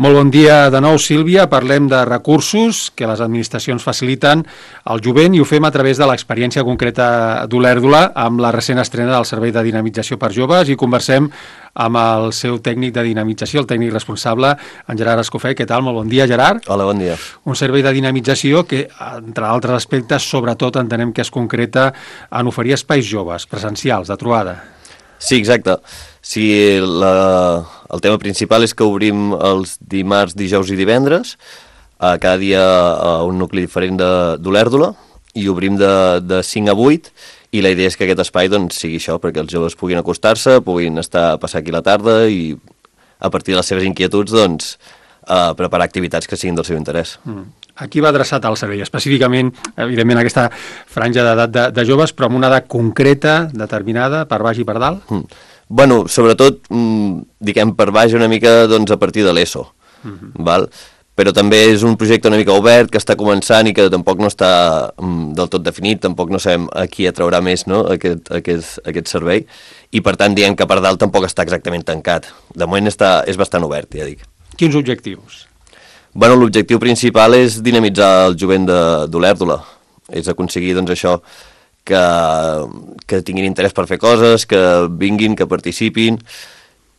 Molt bon dia de nou, Sílvia. Parlem de recursos que les administracions faciliten al jovent i ho fem a través de l'experiència concreta d'Olèrdola amb la recent estrena del Servei de Dinamització per Joves i conversem amb el seu tècnic de dinamització, el tècnic responsable, en Gerard Escofet. Què tal? Molt bon dia, Gerard. Hola, bon dia. Un servei de dinamització que, entre altres aspectes, sobretot entenem que es concreta en oferir espais joves, presencials, de trobada. Sí, exacte. Sí, el tema principal és que obrim els dimarts, dijous i divendres, cada dia a un nucli diferent d'Olèrdola, i obrim de 5 a 8, i la idea és que aquest espai doncs, sigui això, perquè els joves puguin acostar-se, puguin estar a passar aquí la tarda i a partir de les seves inquietuds doncs, preparar activitats que siguin del seu interès. A qui va adreçat el servei? Específicament, evidentment, aquesta franja d'edat de joves, però amb una edat concreta, determinada, per baix i per dalt? Bueno, sobretot, diguem, per baix una mica doncs, a partir de l'ESO, val? Però també és un projecte una mica obert, que està començant i que tampoc no està del tot definit, tampoc no sabem a qui atraurà més, no? aquest servei, i per tant diem que per dalt tampoc està exactament tancat. De moment és bastant obert, ja dic. Quins objectius? Bueno, l'objectiu principal és dinamitzar el jovent d'Olèrdola, és aconseguir doncs, això, que tinguin interès per fer coses, que vinguin, que participin,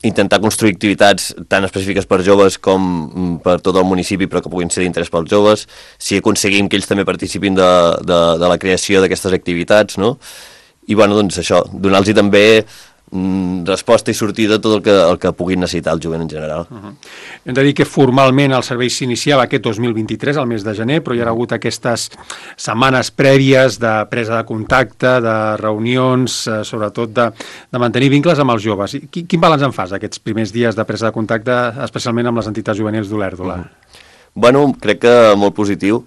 intentar construir activitats tan específiques per joves com per tot el municipi, però que puguin ser d'interès pels joves, si aconseguim que ells també participin de la creació d'aquestes activitats, no? I bueno, doncs això, donar-los també resposta i sortida a tot el que puguin necessitar el jovent en general. Hem de dir que formalment el servei s'iniciava aquest 2023, al mes de gener, però hi ha hagut aquestes setmanes prèvies de presa de contacte, de reunions, sobretot de mantenir vincles amb els joves. Quin balanç en fas aquests primers dies de presa de contacte, especialment amb les entitats juvenils d'Olèrdola? Bueno, crec que molt positiu.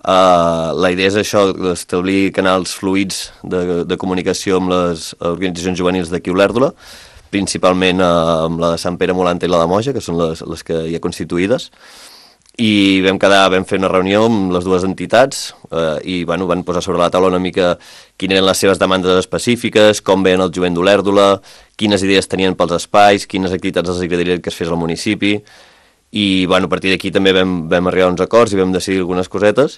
La idea és això, d'establir canals fluids de comunicació amb les organitzacions juvenils d'aquí a Olèrdola, principalment amb la de Sant Pere Molanta i la de Moja, que són les que hi ha constituïdes, i vam fer una reunió amb les dues entitats i bueno, van posar sobre la taula una mica quines eren les seves demandes específiques, com veien el jovent d'Olèrdola, quines idees tenien pels espais, quines activitats els agradaria que es fes al municipi. I bueno, a partir d'aquí també vam arribar a uns acords i vam decidir algunes cosetes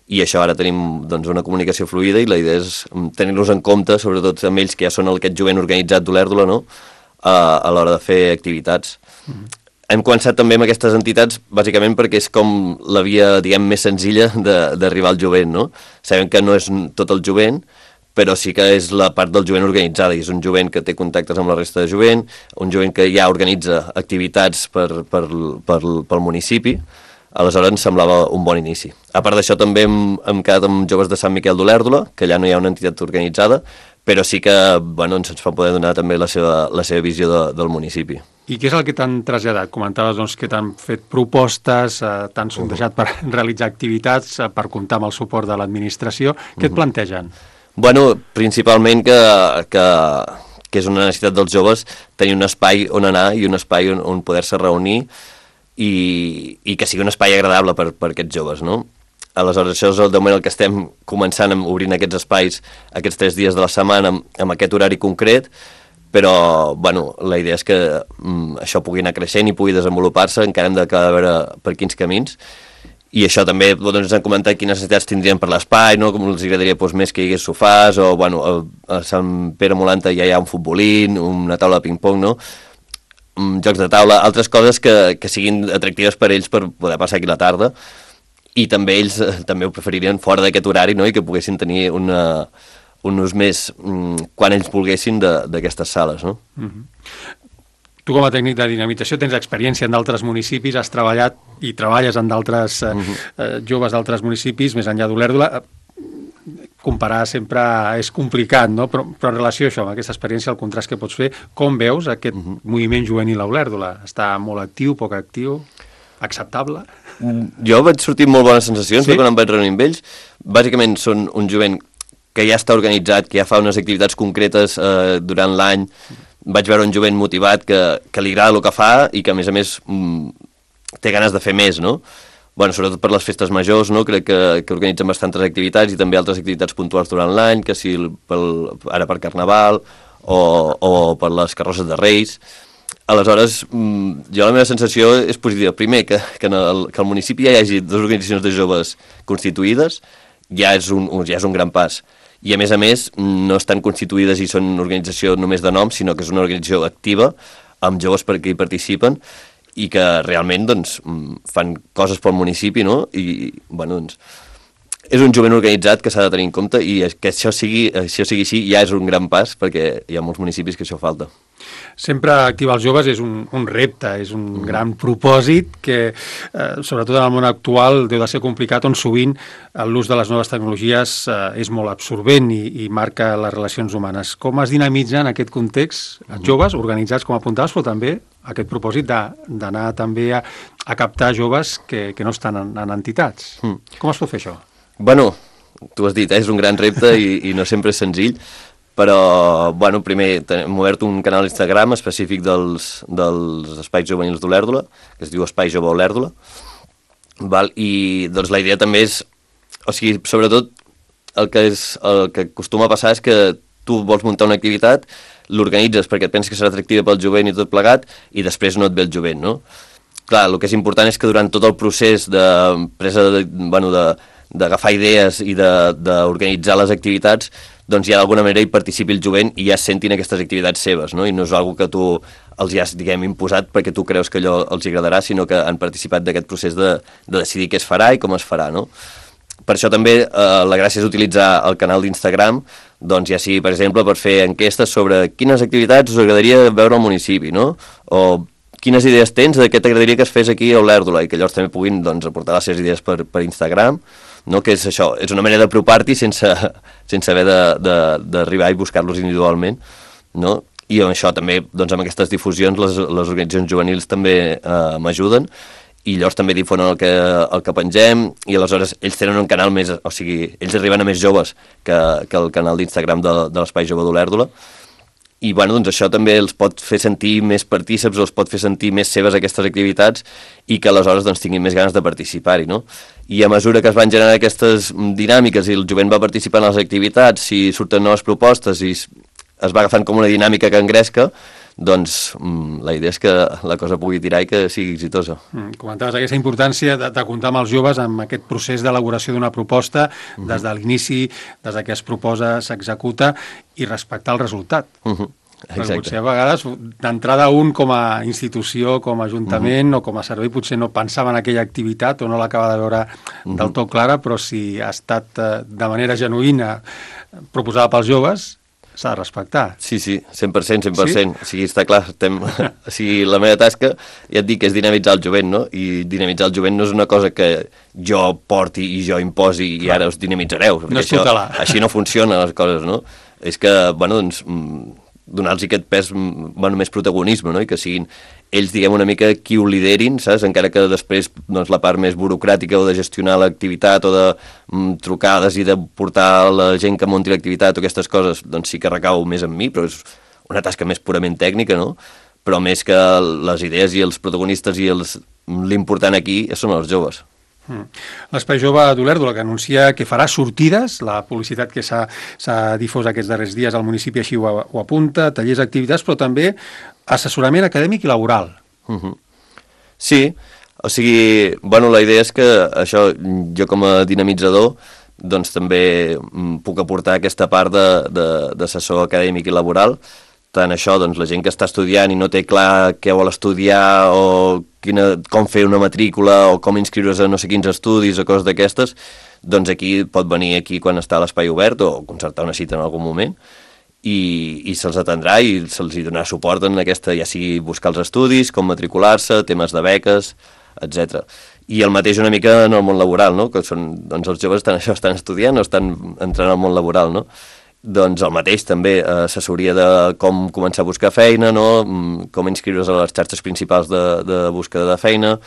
i això ara tenim doncs, una comunicació fluida i la idea és tenir-los en compte, sobretot amb ells que ja són aquest jovent organitzat d'Olèrdola, no? A l'hora de fer activitats. Hem començat també amb aquestes entitats bàsicament perquè és com la via, diguem, més senzilla d'arribar al jovent, no? Sabem que no és tot el jovent, però sí que és la part del jovent organitzada, i és un jovent que té contactes amb la resta de jovent, un jovent que ja organitza activitats pel municipi, aleshores ens semblava un bon inici. A part d'això també hem quedat amb joves de Sant Miquel d'Olèrdola, que allà no hi ha una entitat organitzada, però sí que bueno, ens va poder donar també la seva visió del municipi. I què és el que t'han traslladat? Comentaves doncs, que t'han fet propostes, t'han sondejat per realitzar activitats, per comptar amb el suport de l'administració. Què et plantegen? Bueno, principalment que és una necessitat dels joves tenir un espai on anar i un espai on poder-se reunir i que sigui un espai agradable per aquests joves, no? Aleshores, això és de moment el que estem començant obrint aquests espais aquests 3 dies de la setmana amb aquest horari concret, però bueno, la idea és que això pugui anar creixent i pugui desenvolupar-se, encara hem d'acabar de veure per quins camins. I això també doncs, ens han comentat quines necessitats tindrien per l'espai, no? Com els agradaria doncs, més que hi hagués sofàs, o bueno, a Sant Pere Molanta ja hi ha un futbolín, una taula de ping-pong, no? Jocs de taula, altres coses que siguin atractives per ells per poder passar aquí la tarda, i també ells també ho preferirien fora d'aquest horari, no? I que poguessin tenir un ús més quan ells volguessin d'aquestes sales, no? Tu com a tècnic de dinamització tens experiència en d'altres municipis, has treballat i treballes en d'altres joves d'altres municipis, més enllà d'Olèrdola. Comparar sempre és complicat, no? Però en relació a això, amb aquesta experiència, el contrast que pots fer, com veus aquest moviment juvenil a Olèrdola? Està molt actiu, poc actiu, acceptable? Jo vaig sortir amb molt bones sensacions, quan em vaig reunir amb ells. Bàsicament són un jovent que ja està organitzat, que ja fa unes activitats concretes durant l'any. Vaig veure un jovent motivat que li agrada el que fa i que, a més, té ganes de fer més, no? Bueno, sobretot per les festes majors, no? Crec que organitzen bastantes activitats i també altres activitats puntuals durant l'any, que si ara per Carnaval o per les carrosses de Reis. Aleshores, jo la meva sensació és positiva. Primer, que el municipi ja hi hagi 2 organitzacions de joves constituïdes ja és un gran pas. I a més, no estan constituïdes i són una organització només de nom, sinó que és una organització activa, amb joves que hi participen, i que realment doncs, fan coses pel municipi, no? I, bueno, doncs, és un jovent organitzat que s'ha de tenir en compte i que això sigui així ja és un gran pas, perquè hi ha molts municipis que això falta. Sempre activar els joves és un repte, és un gran propòsit que, sobretot en el món actual, deu de ser complicat, on sovint l'ús de les noves tecnologies és molt absorbent i marca les relacions humanes. Com es dinamitza en aquest context els joves organitzats, com apuntaves, però també aquest propòsit d'anar també a captar joves que no estan en entitats? Com es pot fer això? Bueno, tu has dit, és un gran repte i no sempre és senzill, però, bueno, primer hem obert un canal d'Instagram específic dels espais juvenils d'Olèrdola, que es diu Espai Jove Olèrdola, i doncs la idea també és, o sigui, sobretot el que acostuma a passar és que tu vols muntar una activitat, l'organitzes perquè et penses que serà atractiva pel jovent i tot plegat, i després no et ve el jovent, no? Clar, el que és important és que durant tot el procés d'agafar idees i d'organitzar les activitats, doncs ja d'alguna manera hi participi el jovent i ja sentin aquestes activitats seves, no? I no és una que tu els has, diguem, imposat perquè tu creus que allò els agradarà, sinó que han participat d'aquest procés de decidir què es farà i com es farà, no? Per això també la gràcia és utilitzar el canal d'Instagram, doncs ja sigui, per exemple, per fer enquestes sobre quines activitats us agradaria veure al municipi, no? O quines idees tens de què t'agradaria que es fes aquí a Olèrdola, i que llavors també puguin doncs, aportar les seves idees per Instagram, no? Que és això, és una manera d'apropar-t'hi sense haver d'arribar i buscar-los individualment, no? I amb això també, doncs amb aquestes difusions, les organitzacions juvenils també m'ajuden, i llavors també difonen el que pengem, i aleshores ells tenen un canal més, o sigui, ells arriben a més joves que el canal d'Instagram de l'Espai Jove d'Olèrdola, i bueno, doncs això també els pot fer sentir més partíceps, o els pot fer sentir més seves aquestes activitats, i que aleshores doncs, tinguin més ganes de participar-hi, no? I a mesura que es van generar aquestes dinàmiques i el jovent va participar en les activitats, si surten noves propostes i es va agafant com una dinàmica que engresca, doncs la idea és que la cosa pugui tirar i que sigui exitosa. Comentaves aquesta importància de comptar amb els joves en aquest procés d'elaboració d'una proposta, des de l'inici, des que es proposa, s'executa, i respectar el resultat. Perquè potser a vegades, d'entrada un com a institució, com a ajuntament o com a servei, potser no pensava en aquella activitat o no l'acaba de veure del tot clara, però si ha estat de manera genuïna proposada pels joves, s'ha de respectar. Sí, 100%. Sí? O sigui, està clar, o sigui, la meva tasca, ja et dic, és dinamitzar el jovent, no? I dinamitzar el jovent no és una cosa que jo porti i jo imposi i ara us dinamitzareu. No és tutelar. Així no funcionen les coses, no? És que, bueno, doncs, donar-los aquest pes, bueno, més protagonisme, no? I que siguin ells, diguem, una mica qui ho liderin, saps? Encara que després doncs, la part més burocràtica o de gestionar l'activitat o de trucades i de portar la gent que munti l'activitat o aquestes coses, doncs sí que recau més en mi, però és una tasca més purament tècnica, no? Però més que les idees i els protagonistes i l'important aquí són els joves. L'Espai Jove d'Olèrdola, que anuncia que farà sortides, la publicitat que s'ha difós aquests darrers dies al municipi així ho apunta, tallers, activitats, però també assessorament acadèmic i laboral. Sí, o sigui, bueno, la idea és que això, jo com a dinamitzador, doncs també puc aportar aquesta part d'assessor acadèmic i laboral, tant això, doncs la gent que està estudiant i no té clar què vol estudiar o com fer una matrícula o com inscriure's a no sé quins estudis o coses d'aquestes, doncs aquí pot venir aquí quan està l'espai obert o concertar una cita en algun moment i se'ls atendrà i se'ls donarà suport en aquesta, ja sigui buscar els estudis, com matricular-se, temes de beques, etc. I el mateix una mica en el món laboral, no? Que són, doncs els joves estan estudiant o estan entrant al món laboral, no? Doncs el mateix també, assessoria de com començar a buscar feina, no? Com inscriure's a les xarxes principals de búsqueda de feina,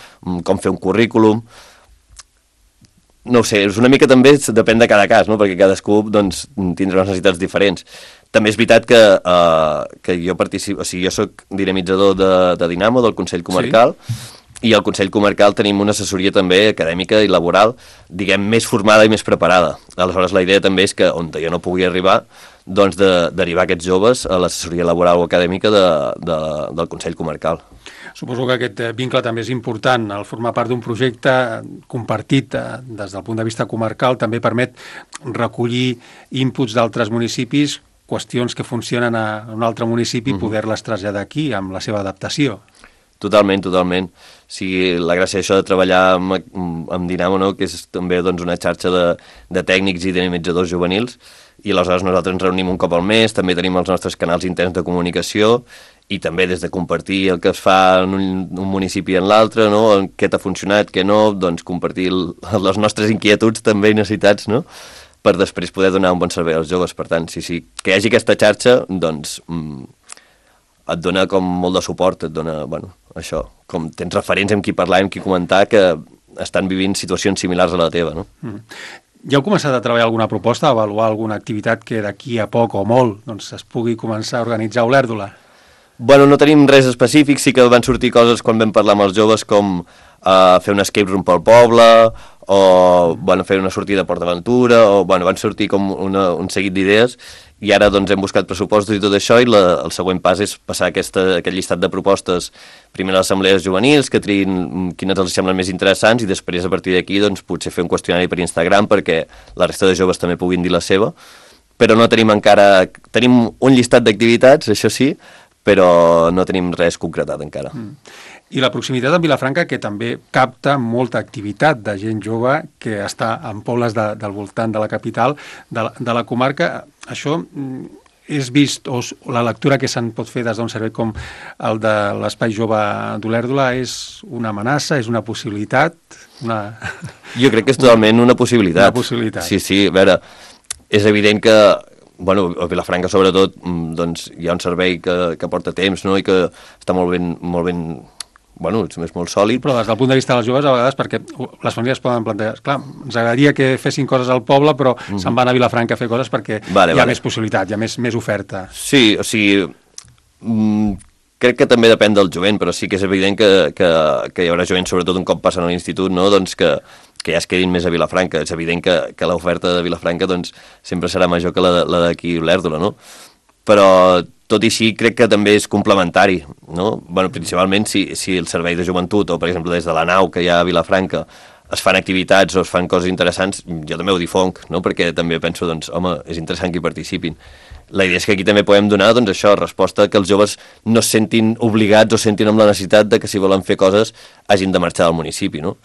com fer un currículum. No ho sé, és una mica també, depèn de cada cas, no? Perquè cadascú doncs, tindrà unes necessitats diferents. També és veritat que jo participo, o sigui, jo soc dinamitzador de Dinamo, del Consell Comarcal, i al Consell Comarcal tenim una assessoria també acadèmica i laboral, diguem, més formada i més preparada. Aleshores, la idea també és que, on jo no pugui arribar, doncs de derivar aquests joves a l'assessoria laboral o acadèmica del Consell Comarcal. Suposo que aquest vincle també és important. El formar part d'un projecte compartit des del punt de vista comarcal també permet recollir inputs d'altres municipis, qüestions que funcionen a un altre municipi, poder-les traslladar aquí amb la seva adaptació. Totalment, totalment. Sí, la gràcia d'això de treballar amb Dinamo, no? Que és també doncs, una xarxa de tècnics i dinamitzadors juvenils, i aleshores nosaltres ens reunim un cop al mes, també tenim els nostres canals interns de comunicació, i també des de compartir el que es fa en un municipi en l'altre, no? Què t'ha funcionat, què no, doncs compartir les nostres inquietuds també i necessitats, no? Per després poder donar un bon servei als joves. Per tant, sí, que hi hagi aquesta xarxa, doncs et dona com molt de suport, et dona, bueno, això, com tens referents amb qui parlar, amb qui comentar, que estan vivint situacions similars a la teva, no? Ja heu començat a treballar alguna proposta, a avaluar alguna activitat que d'aquí a poc o molt doncs, es pugui començar a organitzar a Olèrdola? Bueno, no tenim res específic, sí que van sortir coses quan vam parlar amb els joves com fer un escape room pel poble, o bueno, fer una sortida a Port d'Aventura, o bueno, van sortir com un seguit d'idees, i ara doncs hem buscat pressupostos i tot això, i el següent pas és passar aquest llistat de propostes primer a les assemblees juvenils, que triïn quines els semblen més interessants, i després a partir d'aquí doncs, potser fer un qüestionari per Instagram perquè la resta de joves també puguin dir la seva, però no tenim encara... Tenim un llistat d'activitats, això sí, però no tenim res concretat encara. I la proximitat amb Vilafranca, que també capta molta activitat de gent jove que està en pobles del voltant de la capital, de la comarca. Això és vist, o la lectura que se'n pot fer des d'un servei com el de l'Espai Jove d'Olèrdola és una amenaça, és una possibilitat? Jo crec que és totalment una possibilitat. Una possibilitat. Sí, a veure, és evident que bueno, a Vilafranca sobretot doncs, hi ha un servei que porta temps, no? I que està molt ben bueno, és molt sòlid. Però des del punt de vista dels joves, a vegades, perquè les famílies poden plantejar, clar, ens agradaria que fessin coses al poble, però se'n van a Vilafranca a fer coses perquè hi ha més possibilitat, hi ha més oferta. Sí, o sigui, crec que també depèn del jovent, però sí que és evident que hi haurà jovent, sobretot un cop passen a l'institut, no? Doncs que ja es quedin més a Vilafranca. És evident que l'oferta de Vilafranca doncs, sempre serà major que la d'aquí Olèrdola, no? Però tot i així crec que també és complementari, no? Bueno, principalment si el servei de joventut o, per exemple, des de la nau que hi ha a Vilafranca es fan activitats o es fan coses interessants, jo també ho difonc, no? Perquè també penso, doncs, home, és interessant que hi participin. La idea és que aquí també podem donar, doncs, això, resposta que els joves no es sentin obligats o sentin amb la necessitat de que si volen fer coses hagin de marxar del municipi, no?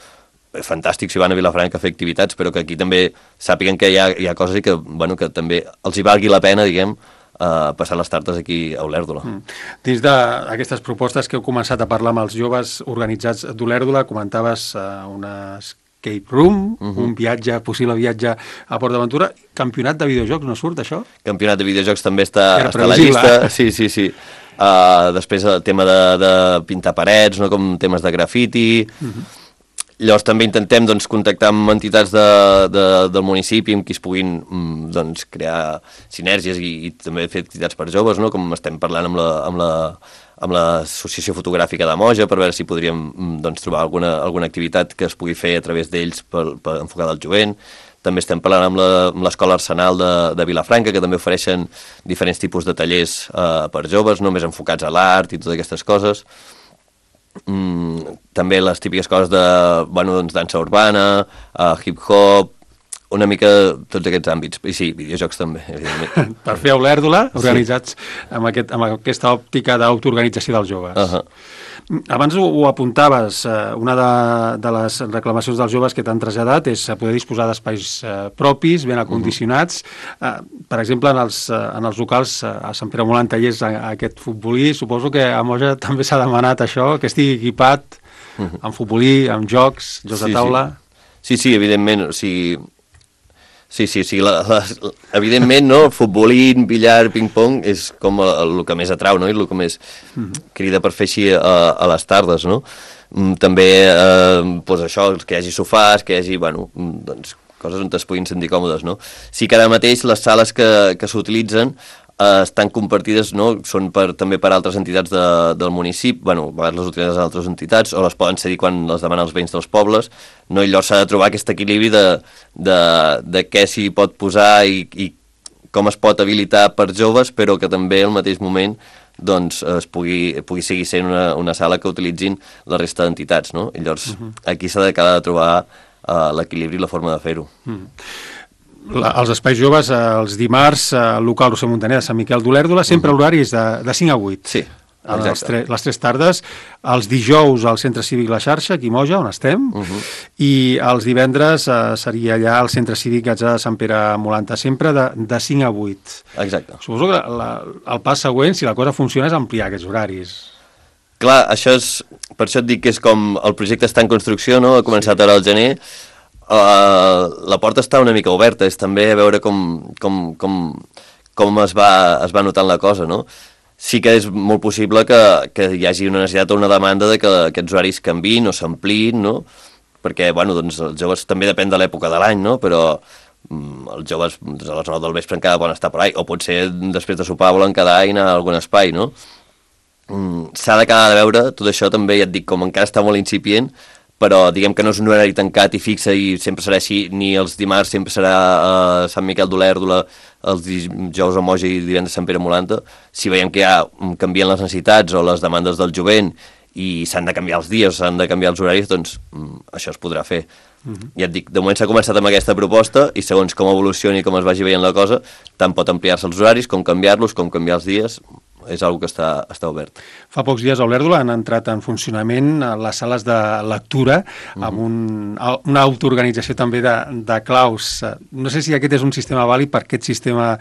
Fantàstic si van a Vilafranca a fer activitats, però que aquí també sàpiguen que hi ha coses i que, bueno, que també els hi valgui la pena, diguem, passar les tardes aquí a Olèrdola. Dins d'aquestes propostes que heu començat a parlar amb els joves organitzats d'Olèrdola, comentaves una escape room, un possible viatge a Port d'Aventura. Campionat de videojocs, no surt això? Campionat de videojocs també està a la llista. Sí. Després el tema de pintar parets, no? Com temes de grafiti. Llavors també intentem doncs, contactar amb entitats del municipi amb qui es puguin doncs, crear sinergies i també fer activitats per joves, no? Com estem parlant amb l'Associació Fotogràfica de Moja per veure si podríem doncs, trobar alguna activitat que es pugui fer a través d'ells per enfocar del jovent. També estem parlant amb l'Escola Arsenal de Vilafranca, que també ofereixen diferents tipus de tallers per joves, no més enfocats a l'art i totes aquestes coses. També les típiques coses de doncs, dansa urbana, hip-hop, una mica tots aquests àmbits. I sí, videojocs també, evidentment. Per fer a Olèrdola, organitzats amb aquesta òptica d'autoorganització dels joves. Abans ho apuntaves, una de les reclamacions dels joves que t'han traslladat és poder disposar d'espais propis, ben acondicionats. Per exemple, en els locals a Sant Pere Molant tallers aquest futbolí, suposo que a Moja també s'ha demanat això, que estigui equipat amb futbolí, amb jocs de taula. Sí, evidentment, o sigui... Sí, evidentment, no? Futbolín, billar, ping-pong és com el que més atrau, no? I el que més crida per fer així a les tardes, no? També, doncs això, que hi hagi sofàs, que hi hagi, doncs, coses on es puguin sentir còmodes, no? Sí que ara mateix les sales que s'utilitzen estan compartides, no? Són també per altres entitats del municipi, bueno, a vegades les utilitzen altres entitats, o les poden cedir quan les demanen els veïns dels pobles, no? I llavors s'ha de trobar aquest equilibri de què s'hi pot posar i com es pot habilitar per joves, però que també al mateix moment doncs es pugui seguir sent una sala que utilitzin la resta d'entitats, no? I llavors aquí s'ha d'acabar de trobar l'equilibri i la forma de fer-ho. Els espais joves, els dimarts, al local Roser Montaner de Sant Miquel d'Olèrdola, sempre l'horari és de 5 a 8. Sí, exacte. Les 3 tardes. Els dijous al Centre Cívic La Xarxa, aquí a Moja, on estem, i els divendres seria allà al Centre Cívic Gatzà de Sant Pere Molanta, sempre de 5 a 8. Exacte. Suposo que el pas següent, si la cosa funciona, és ampliar aquests horaris. Clar, per això et dic que és com el projecte està en construcció, no? Ha començat ara al gener. La porta està una mica oberta, és també a veure com es va notant la cosa, no? Sí que és molt possible que hi hagi una necessitat o una demanda de que aquests horaris canviïn o s'ampliïn, no? Perquè, bueno, doncs els joves també depèn de l'època de l'any, no? Però els joves doncs, a les 9 del vespre encara poden estar per ahí, o potser després de sopar volen quedar i anar a algun espai, no? S'ha d'acabar de veure, tot això també, ja et dic, com encara està molt incipient, però diguem que no és un horari tancat i fixe i sempre serà així, ni els dimarts sempre serà a Sant Miquel d'Olèrdola, els dijous a Moja i divendres a Sant Pere Molanta. Si veiem que ja canvien les necessitats o les demandes del jovent i s'han de canviar els dies, s'han de canviar els horaris, doncs això es podrà fer. Ja et dic, de moment s'ha començat amb aquesta proposta i segons com evolucioni i com es vagi veient la cosa, tant pot ampliar-se els horaris com canviar-los, com canviar els dies. És una cosa que està obert. Fa pocs dies a Olèrdola han entrat en funcionament les sales de lectura amb una autoorganització també de claus. No sé si aquest és un sistema vàlid per aquest sistema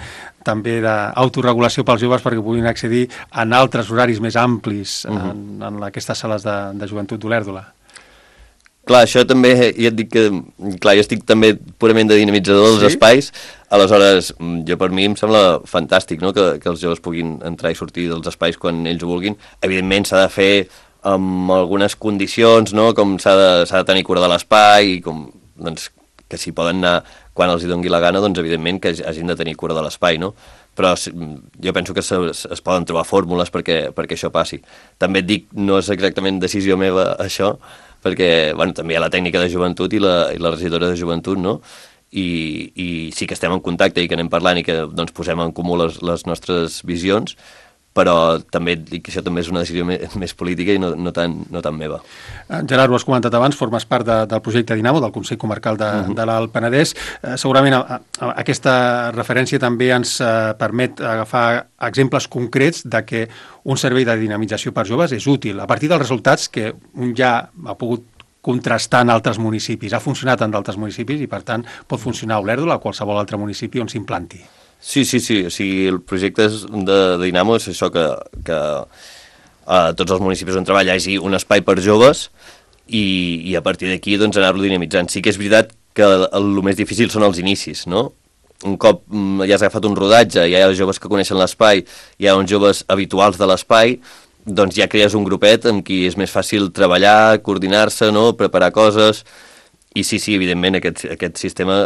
també d'autoregulació pels joves perquè puguin accedir en altres horaris més amplis en aquestes sales de joventut d'Olèrdola. Clar, això també, ja et dic que, clar, jo estic també purament de dinamitzador dels espais, aleshores, jo per mi em sembla fantàstic, no?, que els joves puguin entrar i sortir dels espais quan ells ho vulguin. Evidentment s'ha de fer amb algunes condicions, no?, com s'ha de tenir cura de l'espai, i com, doncs, que si poden anar quan els hi doni la gana, doncs evidentment que hagin de tenir cura de l'espai, no? Però jo penso que es poden trobar fórmules perquè això passi. També et dic, no és exactament decisió meva això, perquè bueno, també hi ha la tècnica de joventut i la regidora de joventut, no? I sí que estem en contacte i que anem parlant i que doncs, posem en comú les nostres visions, però també dic que això també és una decisió més política i no tan meva. Gerard, ho has comentat abans, formes part del projecte Dinamo, del Consell Comarcal de l'Alt Penedès. Segurament aquesta referència també ens permet agafar exemples concrets de que un servei de dinamització per joves és útil, a partir dels resultats que un ja ha pogut contrastar en altres municipis. Ha funcionat en d'altres municipis i, per tant, pot funcionar a Olèrdola o a qualsevol altre municipi on s'implanti. Sí, o sigui, el projecte de Dinamo és això que a tots els municipis on treballa hi hagi un espai per joves i a partir d'aquí doncs, anar-lo dinamitzant. Sí que és veritat que el més difícil són els inicis, no? Un cop ja has agafat un rodatge, ja hi ha joves que coneixen l'espai, hi ha uns joves habituals de l'espai, doncs ja crees un grupet amb qui és més fàcil treballar, coordinar-se, no? Preparar coses. I sí, evidentment, aquest sistema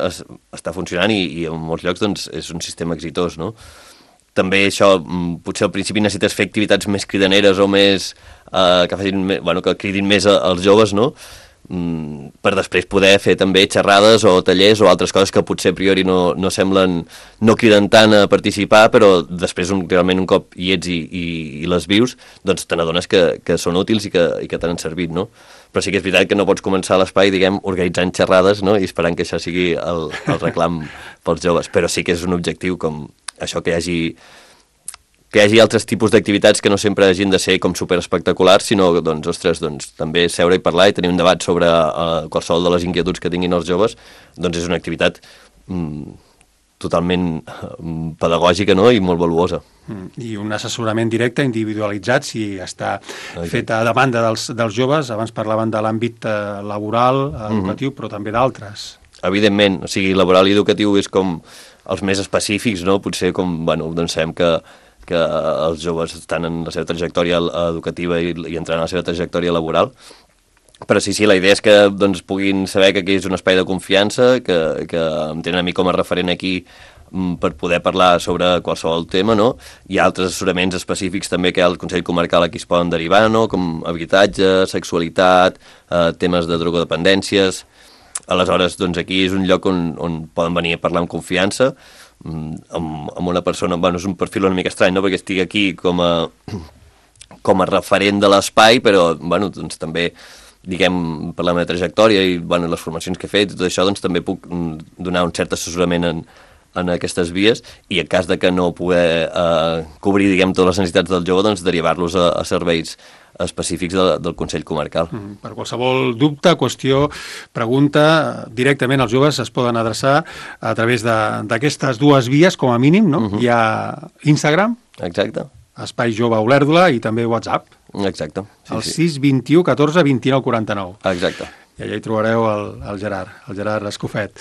està funcionant i en molts llocs doncs, és un sistema exitós, no? També això, potser al principi necessites fer activitats més cridaneres o més que cridin més als joves, no? Per després poder fer també xerrades o tallers o altres coses que potser a priori no semblen, no criden tant a participar, però després realment un cop hi ets i les vius, doncs te n'adones que són útils i que t'han servit, no? Però sí que és veritat que no pots començar l'espai, diguem, organitzant xerrades, no?, i esperant que això sigui el reclam pels joves. Però sí que és un objectiu com això, que hi hagi altres tipus d'activitats que no sempre hagin de ser com superespectaculars, sinó, doncs, ostres, doncs, també seure i parlar i tenir un debat sobre qualsevol de les inquietuds que tinguin els joves, doncs és una activitat totalment pedagògica, no?, i molt valuosa. I un assessorament directe, individualitzat, si està fet a demanda dels joves. Abans parlaven de l'àmbit laboral, educatiu, però també d'altres. Evidentment, o sigui, laboral i educatiu és com els més específics, no? Potser com, bueno, doncs sabem que els joves estan en la seva trajectòria educativa i entrant en la seva trajectòria laboral, però sí, la idea és que doncs, puguin saber que aquí és un espai de confiança, que em tenen a mi com a referent aquí per poder parlar sobre qualsevol tema, no? Hi ha altres assessoraments específics també que al Consell Comarcal aquí es poden derivar, no? Com habitatge, sexualitat, temes de drogodependències. Aleshores, doncs aquí és un lloc on poden venir a parlar amb confiança, amb una persona, bueno, és un perfil una mica estrany, no?, perquè estic aquí com a referent de l'espai, però, bueno, doncs també, diguem, per la meva trajectòria i, bueno, les formacions que he fet i tot això, doncs també puc donar un cert assessorament en aquestes vies, i en cas de que no poder cobrir, diguem, totes les necessitats del jove, doncs derivar-los a serveis específics del Consell Comarcal. Per qualsevol dubte, qüestió, pregunta, directament els joves es poden adreçar a través d'aquestes dues vies, com a mínim, no? Hi ha Instagram, exacte, Espai Jove Olèrdola, i també WhatsApp. Exacte. Sí, el 621 14 29 49. Exacte. I allà hi trobareu el Gerard Escofet,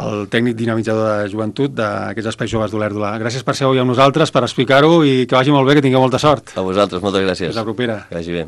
el tècnic dinamitzador de joventut d'aquests espais joves d'Olèrdola. Gràcies per ser avui amb nosaltres, per explicar-ho, i que vagi molt bé, que tingueu molta sort. A vosaltres, moltes gràcies. Fins la propera. Que vagi bé.